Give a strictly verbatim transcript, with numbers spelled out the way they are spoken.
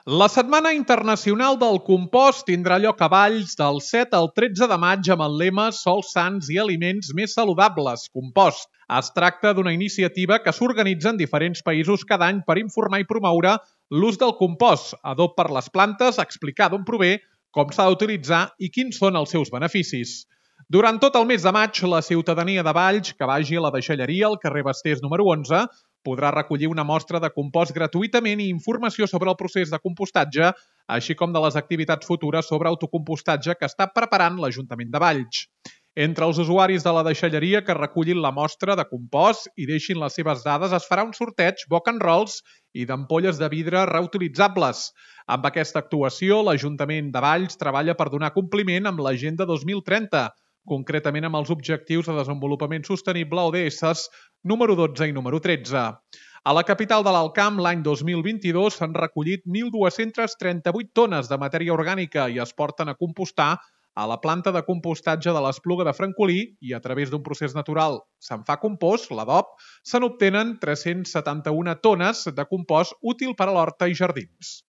La Setmana Internacional del Compost tindrà lloc a Valls del set al tretze de maig amb el lema Sols sans i aliments més saludables, compost. Es tracta d'una iniciativa que s'organitza en diferents països cada any per informar i promoure l'ús del compost, adob per les plantes, explicar d'on prové, com s'ha d'utilitzar i quins són els seus beneficis. Durant tot el mes de maig, la ciutadania de Valls, que vagi a la deixalleria al carrer Bastés número onze, podrà recollir una mostra de compost gratuïtament i informació sobre el procés de compostatge, així com de les activitats futures sobre autocompostatge que està preparant l'Ajuntament de Valls. Entre els usuaris de la deixalleria que recullin la mostra de compost i deixin les seves dades es farà un sorteig boca en rolls i d'ampolles de vidre reutilitzables. Amb aquesta actuació, l'Ajuntament de Valls treballa per donar compliment amb l'Agenda dos mil trenta, concretament amb els Objectius de Desenvolupament Sostenible o D S número dotze i número tretze. A la capital de l'Alt Camp, l'any dos mil vint-i-dos, s'han recollit mil dues-centes trenta-vuit tones de matèria orgànica i es porten a compostar a la planta de compostatge de l'Espluga de Francolí i a través d'un procés natural se'n fa compost, l'adob, se n'obtenen tres-cents setanta-una tones de compost útil per a l'horta i jardins.